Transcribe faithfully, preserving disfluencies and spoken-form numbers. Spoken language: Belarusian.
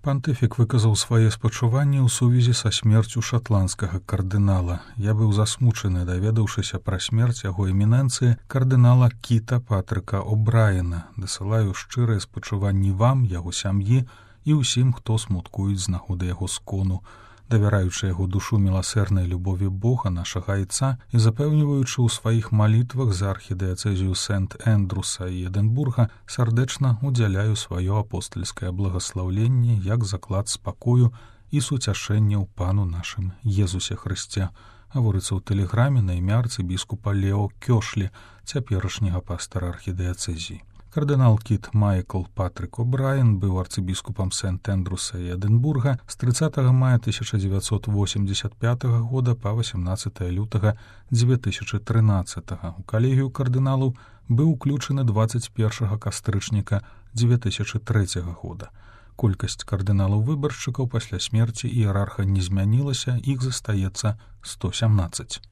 Пантыфік выказаў свае спачуванні ў сувязі са смерцю шатландскага кардынала. Я быў засмучаны, даведаўшыся пра смерць яго эмінэнцыі кардынала Кіта Патрыка О'Брайена. Дасылаю шчырыя спачуванні вам, яго сям'і і ўсім, хто смуткуюць з нагоды яго скону. Давяраючы яго душу міласэрнай любові Бога, нашага айца, і запэўніваючы ў сваіх малітвах за архідыяцэзію Сент-Эндрюса і Эдэнбурга, сардэчна удзяляю сваё апостальскае благаслаўленне як заклад спакою і суцяшэння ў пану нашым Езусе Хрысце. Гаворыцца ў тэлеграме на імя арцыбіскупа Лео Кёшлі, цяперашняга пастара архідыяцэзіі. Кардынал Кіт Майкл Патрык О'Брайен быў арцыбіскупам Сент-Эндрюса і Эдэнбурга з трыццатага мая тысяча дзевяцьсот восемьдесят пятага года па васямнаццатае лютага дзве тысячы трынаццатага. У калегію кардыналаў быў уключаны дваццаць першага кастрычніка дзве тысячы трэцяга года. Колькасць кардыналаў-выбаршчыкаў пасля смерці іерарха не змянілася, іх застаецца сто сямнаццаць.